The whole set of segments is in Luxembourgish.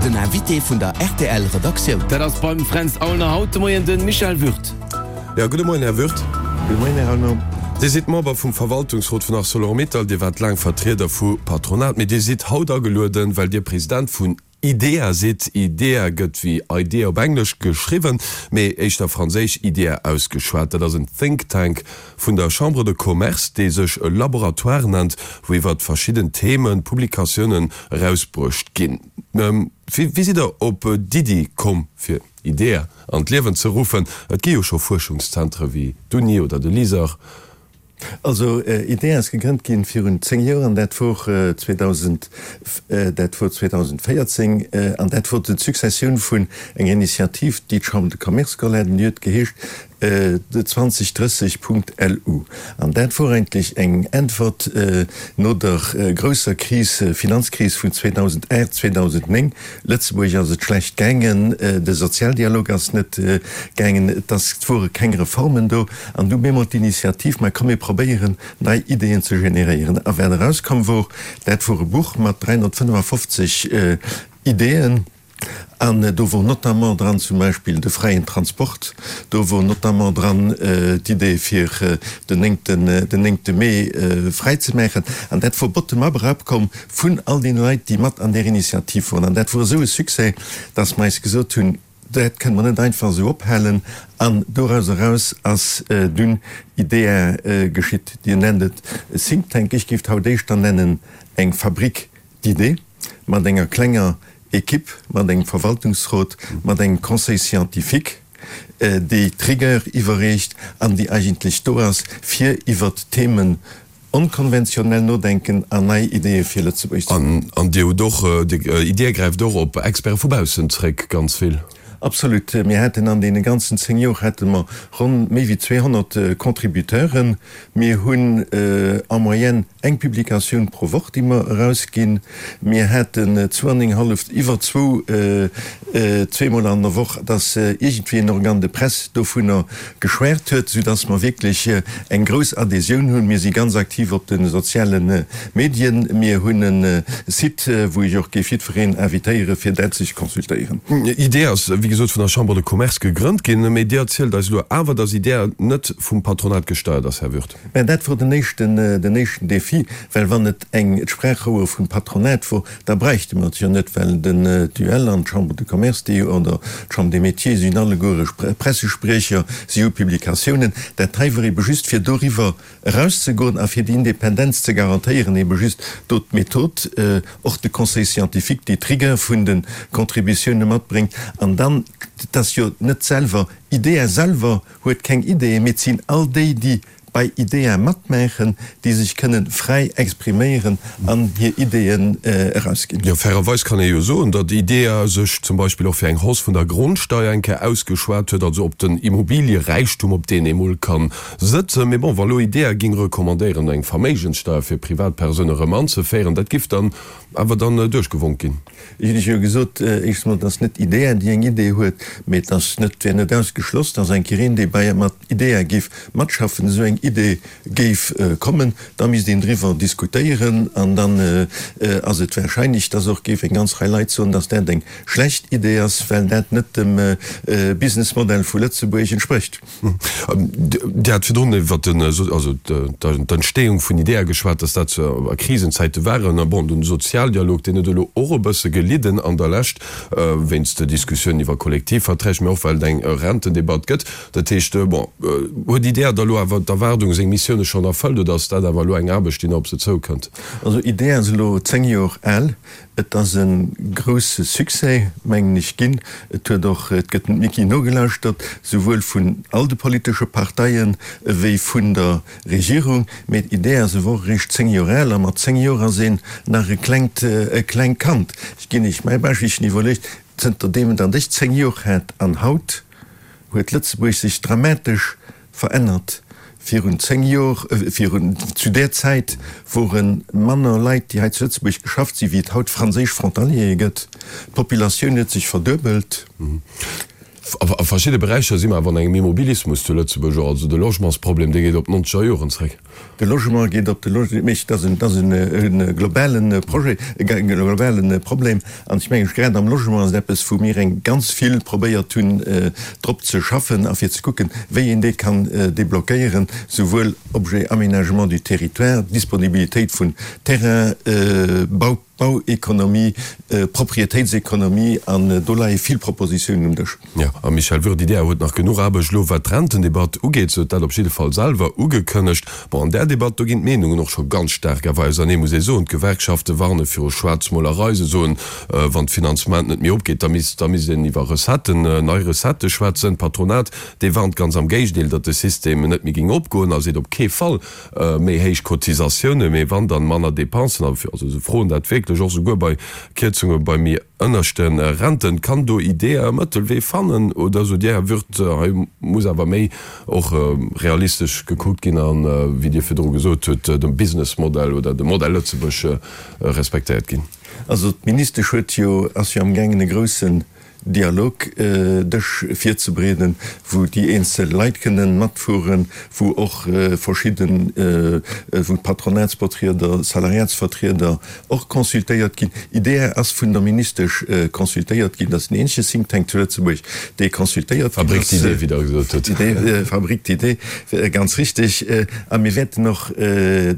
Den Invité vun der rtl Redaktioun. Dat ass beim Fränz Aulner haut de Moien de Michel Würth. Jo, gudde Moien, Här Würth. Gudde Moien, Här Aulner. Dir sidd Member vum Verwaltungsrot vun Arcelor-Mittal. Dir waart laang Vertrieder vu Patronat, mee Dir sidd haut agelueden, well Dir President vun IDEA sidd. IDEA gëtt wéi Idea op Englesch geschriwwen, mee éischter franséisch Idea ausgeschwat. Dat ass en Think Tank vun der Chambre de Commerce, dee sech e Laboratoire nennt, wou iwwert verschidden Themen Publikatiounen erausbruecht ginn. Wéi sidd Der op d'Iddi komm, fir IDEA an d'Liewen ze ruffen? Et gi jo scho Fuerschungszentre wéi d'Uni oder de LISER. Also IDEA ass gegrënnt ginn virun 10 Joer an dat wor 2000, dat wor 2014 an dat wor d'Successioun vun enger Initiativ, déi d'Chambre de Commerce geholl hat an déi huet geheescht 2030.lu. An dat wor eigentlech eng Äntwert no der grousser Kris, Finanzkris vun 2008, 2009. Lëtzebuerg ass et schlecht gaangen, de Sozialdialog ass net gaangen, et ass, et wore keng Reformen do. An du bemol d'Initiativ, ma komm mir probéieren nei Ideeën ze generéieren. A wat erauskomm wor, dat wor e Buch mat 355 Ideeën. An do wor notamment dran zum Beispill de fräien Transport, do wor notamment dran d'Idee fir den néngten, den néngte Mee fräi ze maachen. An dat wor bottom-up erapkomm vun all deene Leit, déi mat an där Initiativ woren. An dat wor esou e Succès, dass mer eis gesot hunn, Dat kënne mer net einfach esou ophalen. An doraus eraus ass dunn IDEA geschitt. Dir nennt et e Think Tank, ech géif et haut éischter nennen eng Fabrique d'idées, mat enger klenger Equipe, mat engem Verwaltungsrot, mat engem Conseil scientifique, déi d'Rigueur iwwerreecht an déi eigentlech do ass, fir iwwert Themen Onkonventionell nodenken an nei Ideeë fir Lëtzebuerg ze hunn. An Dir hutt och, Dir gräift och op Experte vu baussen zréck, ganz vill. Absolut. Mir haten an deene ganzen 10 Jor hate mer ronn méi wéi 200 Contributeuren. Mir hunn en moyenne eng Publikatioun pro Woch, déi mer erausginn. Mir haten zwou an eng hallef, iwwer zwou, zweemol an der Woch, dass iergendwéi en Organe de presse dovunner geschwärt huet, sou dass mer wierklech eng grouss Adhésioun hunn. Mir si ganz aktiv op de soziale Medien. Mir hunn e Site, wou ech och géif jiddwereen invitéiere fir dat sech consultéieren. IDEA ass, wéi gesot, vun der Chambre de Commerce gegrënnt ginn, mee Dir erzielt eis elo awer, dass IDEA net vum Patronat gesteiert ass, Här Würth. Mä dat wor den éischten, den éischten Défi, well wann et eng d'Sprachrouer vum Patronat wor, da bräichte mer et jo net, well den d'UEL an d'Chambre de Commerce, déi oder d'Chambre des Métiers sinn alleguere Pressespriecher, si hu Publikatiounen. Dat hei wor ebe just fir doriwwer erauszegoen a fir déi Independenz ze garantéieren, ebe just do d'Method, och de Conseil scientifique, déi d'Rigueur vun de Contributioune matbréngt an dann, et ass jo net selwer, IDEA selwer huet keng Ideeën, mee et sinn all déi, déi bei IDEA matmaachen, déi sech kënnen fräi expriméieren an hir Ideeën erausginn. Jo, fairerweis kann ee jo soen, datt IDEA sech zum Beispill och fir eng Hausse vun der Grondsteier eng Kéier ausgeschwat huet, also op den Immobilieräichtum, op deen ee mol ka sëtzen. Mee bon, wa lo IDEA géing recommandéieren, eng Verméigenssteier fir Privatpersoune rëm anzeféieren, dat giff dann awer dann duerchgewonk ginn. Ech hunn Iech jo gesot, éischtens emol, et ass net IDEA, déi eng Idee huet, mee et ass net, wär net ausgeschloss, dass eng Kéier een, dee bei mat IDEA géif matschaffen, esou eng Idee géif kommen. Da misst een driwwer diskutéieren an dann ass et wahrscheinlech, dass och géif eng ganz Rei Leit soen, dass dat eng schlecht Idee ass, well dat net dem Businessmodell vu Lëtzebuerg entsprécht. Dir hat virdrun iwwer d'Entstehung vun IDEA geschwat, dass dat a Krisenzäite waren. A bon, den Sozialdialog, deen huet elo och e bësse gelidden an der Lescht, wéinst de Diskussiounen iwwer Kollektivverträg, mä och well et eng Rentendebatt gëtt. Dat heescht, bon, huet IDEA da elo awer d'Erwaardung, seng Missioune schonn erfëllt oder ass dat awer elo eng Aarbecht, déi nach op se zoukënnt? Also IDEA ass elo 10 Joer al. Et ass e grousse Succès, mengen ech, ginn. Et huet och, et gëtt dem Micky nogelauschtert, souwuel vun all de politesche Parteien ewéi vun der Regierung. Mee d'Idee ass ewer och eréischt 10 Joer al, a mat 10 Joer ass een nach e klengt, e klengt Kand. Ech ginn Iech mäi Beispill, ech hunn iwwerluecht, zënter deem datt ech 10 Joer hat an haut, huet Lëtzebuerg sech dramatesch Verännert. Virun 10 Jor, virun, zu där Zäit wore manner Leit, déi hei zu Lëtzebuerg geschafft sinn, wéi et haut franséisch Frontaliere gëtt. D'Populatioun huet sech verduebelt. A verschidde Beräicher si mer awer an engem Immobilismus zu Lëtzebuerg och. Also de Logementsproblem, dee geet op d'nonzeger Joren zréck. De Logement geet op, de Logement, mee dat ass en, dat ass en globale Projet, e globale Problem. An ech mengen, grad am Logement ass et eppes, wou mir eng ganz vill probéiert hunn, drop ze schaffen a fir ze kucken, wéi een dee kann deblockéieren, souwuel Objet Aménagement du territoire, Disponibilitéit vun Terrain, Bau, Bauekonomie, Proprietéitsekonomie, an do leie vill Propositiounen um Dësch. Jo, a Michel Würth, IDEA huet nach genuch Aarbecht elo wat d'Rentendebatt ugeet, se huet dat op jidde Fall selwer ugekënnegt. Bon, an där Debatt, do ginn d'Meenungen och scho ganz staark awer ausernee, muss ee soen. D'Gewerkschafte warne viru Schwaarzmolerei, se soen, wann d'Finanzement net méi opgeet, da misst, da misst een iwwer Recetten, nei Recettë schwätzen. D'Patronat, dee warnt ganz am Géigendeel, datt de System net méi géing opgoen a seet op kee Fall méi héich Cotisatiounen, mee wann, dann manner Dépensen. Also se froen dat wierklech och souguer bei Kierzunge bei méi ënnerschte Renten. Kann do IDEA e Mëttelwee fannen oder sot Dir, Här Würth, hei muss awer méi och realistesch gekuckt ginn an, wéi Dir virdru gesot hutt, de Businessmodell oder de Modell Lëtzebuerg respektéiert ginn? Also d'Ministesch huet jo, ass jo amgaangen e groussen Dialogdësch virzebereeden, wou déi eenzel Leit kënnen matfueren, wou och verschidden, wou d'Patronatsvertrieder, Salariatsvertrieder och consultéiert ginn. IDEA ass vun der Ministesch consultéiert ginn. Dat ass den eenzege Think Tank zu Lëtzebuerg, dee consultéiert ginn ass. Fabrique d'idées, wéi Der gesot hutt. Fabrique d'idées, ganz richtig. A mir wäerten och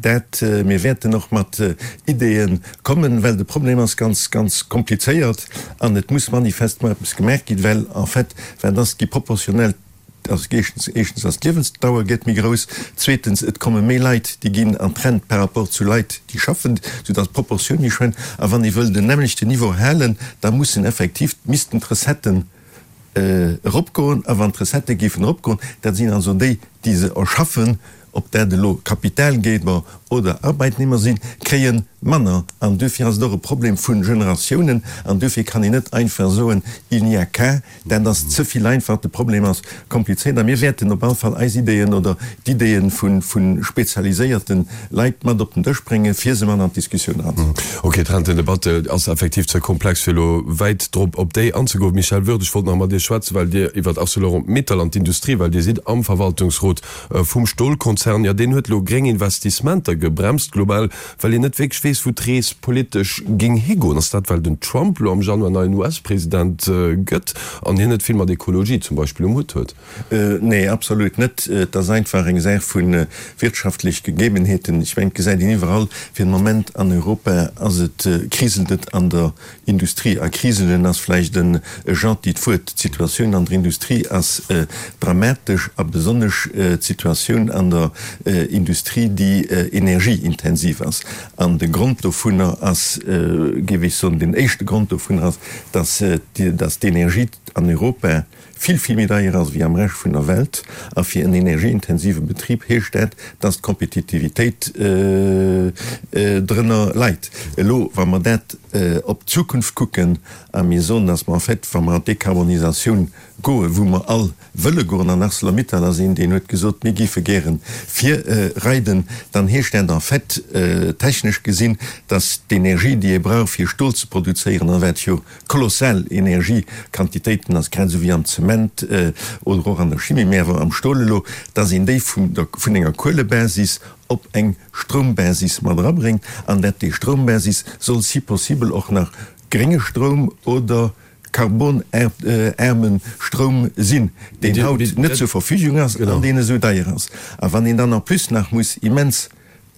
dat, mir wäerten och mat Ideeë kommen, well de Problem ass ganz, ganz komplizéiert. An et muss manifestement eppes gemaach ginn, well en fait, wat ass, gi proportionell, also éischtens, éischtens ass d'Liewensdauer gëtt méi grouss, zweetens, et komme méi Leit, déi ginn an d'Rent par rapport zu Leit, déi schaffen, soudass d'Proportioun méi schwéngt. A wann ee wëll den nämmlechten Niveau halen, da mussen effektiv, missten d'Recetten eropgoen. A wann d'Recettë géifen eropgoen, dat sinn also déi, déi se erschaffen, ob dat elo Kapitalgeber oder Arbeitnehmer sinn, kréie manner. An duerfir ass et och e Problem vu Generatiounen. An duerfir kann een net einfach soen, il n'y a qu'à. Dat ass ze vill einfach. De Problem ass komplizéiert. A mir wäerten op alle Fall eis Ideeën oder d'Ideeë vu spezialiséierte Leit mat op den Dësch bréngen, fir se mat an d'Diskussioun eranzebréngen. Ok, d'Rentendebatte ass effektiv ze komplex, fir elo wäit drop op déi anzegoen. Michel Würth, ech wollt nach mat Iech schwätzen, well Dir iwwert Arcelor-Mittal an d'Industrie, well Dir sidd am Verwaltungsrot vum Stolkonzern, jo deen huet elo gréng Investissementer gebremst global, well een net wierklech weess, wou d'Rees politesch géing higoen. Ass dat, well den Trump elo am Januar neien US-President gëtt an hien net vill mat Ekologie zum Beispill um Hutt huet? Nee, absolut net. Et ass einfach eng Saach vu wirtschaftlech Gegebenheeten. Ech mengen, et gesäit een iwwerall, fir den Moment an Europa ass et, kriselt et an der Industrie. A kriselen ass vläicht e gentit Wuert. D'Situatioun an der Industrie ass dramatesch a besonnesch d'Situatioun an der Industrie, déi energieintensiv ass. An de Grond dovunner ass, géif ech soen, den éischte Grond dovunner ass, dass d'Energie an Europa, vill, vill méi deier ass wéi am Rescht vun der Welt. A fir en energieintensive Betrib heescht dat, dass d'Kompetitivitéit drënner leit. Elo, wa mer dat op d'Zukunft kucken a mir soen, dass mer en fait, wa mer an d'Dekarbonisatioun goen, wou mer all wëlle goen, an Arcelor-Mittal ass een, deen huet gesot, mir géife gäre virreiden, dann heescht dat en fait, technesch gesinn, dass d'Energie, déi ee brauch, fir Stol ze produzéieren, a wat jo Kolossal Energiequantitéiten ass, grad esou wéi am Zement oder och an der Chimie, mä awer am Stol elo, dass een déi vun der, vun enger Kuelebasis op eng Stroumbasis mat erabréngt an dat déi Stroumbasis soll si possible och nach grénge Stroum oder karbonaarme Stroum sinn, deen haut net zur Verfügung ass an deen esou deier ass. A wann een dann en plus nach muss immens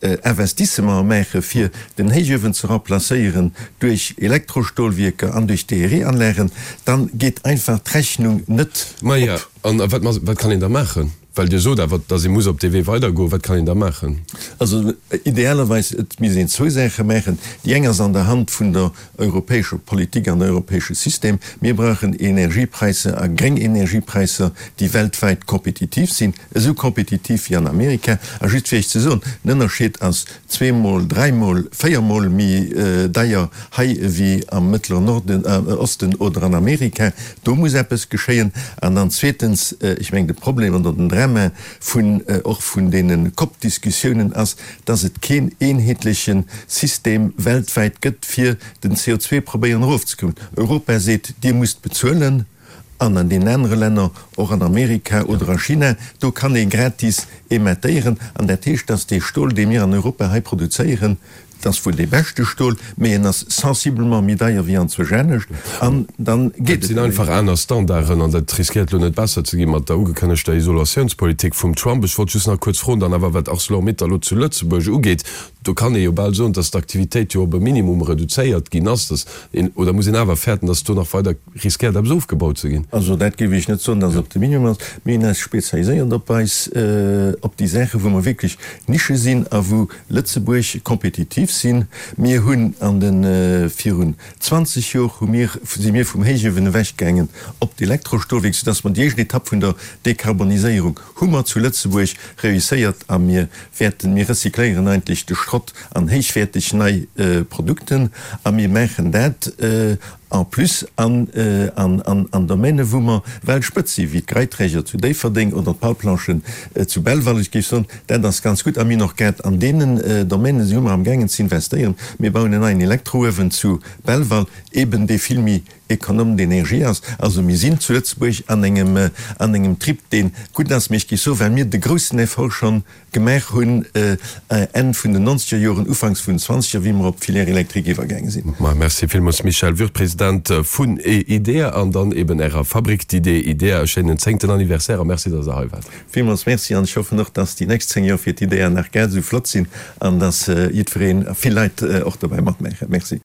Investissementer maache fir den Héichuewen ze remplacéieren duerch Elektrostolwierker an duerch DRE-Anlagen, dann geet einfach d'Rechnung net op. Maja, an wat wat kann een da maachen? Well Dir sot awer, datt ee muss op dee Wee weidergoen. Wat kann een da maachen? Also idealerweis, et misst een zwou Saache maachen. Déi eng ass an der Hand vun der europäescher Politik an europäesche System. Mir brauchen Energiepräisser a gréng Energiepräisser, déi weltwäit kompetitiv sinn. Esou kompetitiv wéi an Amerika. A just fir Iech ze soen, den Ënnerscheed ass zweemol, dräimol, véiermol méi deier hei ewéi am Mëttleren Norden, Osten oder an Amerika. Do muss eppes geschéien. An dann zweetens, ech mengen de Problem oder den Drama vun och vun deene COP-Diskussiounen ass, dass et keen eenheetleche System weltwäit gëtt, fir den CO2 probéieren erofzekommen. Europa seet, Dir musst bezuelen. An an deenen anere Länner, och an Amerika oder a China, do kann ee gratis emettéieren. An dat heescht, dass dee Stol, dee mir an Europa hei produzéieren, et ass wuel dee beschte Stol, mee en ass sensiblement méi deier wéi anzwousch anescht. An dann geet Et et sinn net méi. einfach aner Standarden an dat riskéiert elo net besser ze gi mat der ugekënnegter Isolatiounspolitik vum Trump. Ech wollt just nach kuerz froen dann awer, wat Arcelor-Mittal elo zu Lëtzebuerg ugeet, Do kann ee jo bal soen, dass d'Aktivitéit jo op e Minimum reduzéiert ginn ass, dass een, oder muss een awer fäerten, dass do nach weider riskéiert eppes ofgebaut ze ginn? Also dat géif ech net soen, dass et op de Minimum ass. Mir hunn eis spezialiséiert op eis, op déi Saachen, wou mer wierklech Nische sinn a wou Lëtzebuerg kompetitiv sinn. Mir hunn an de, virun 20 Jor hu mir, si mir vum Héichuewen ewechgaangen op d'Elektrostolwierk, soudass mer déi éischt Etapp vun der Dekarboniséierung hu mer zu Lëtzebuerg reusséiert a mir wäerten, mir recycléieren eigentlech de Schrott an héichwäerteg nei Produkten a mir maachen dat en plus an an Domainen, wou mer Weltspëtz sinn, wéi d'Greiträger zu Déifferdeng oder d'Palplanchen zu Belval. Ech géif soen, dat ass ganz gutt a mir hunn och grad an deenen Domainen si mer amgaangen ze investéieren. Mir bauen en neien Elektrouewen zu Belval, eben dee vill méi Économe d'énergie ass. Also mir sinn zu Lëtzebuerg an engem, an engem Trip, dee gutt ass, mee ech géif soen, well mir de groussen Effort schonn gemaach hunn Enn vun den nonzeger Joren, ufanks vun den zwanzeger, wéi mer op d'Filière électrique iwwergaange sinn. Ma merci villmools Michel Würth, President vun IDEA an dann eben Ärer Fabrique d'idées IDEA. E schéinen zéngten Anniversaire a merci, dass Der hei waart. Villmools merci an ech hoffen och, dass déi nächst 10 Joer fir d'IDEA nach grad esou flott sinn an dass jiddwereen a vill Leit och dobäi matmaachen. Merci.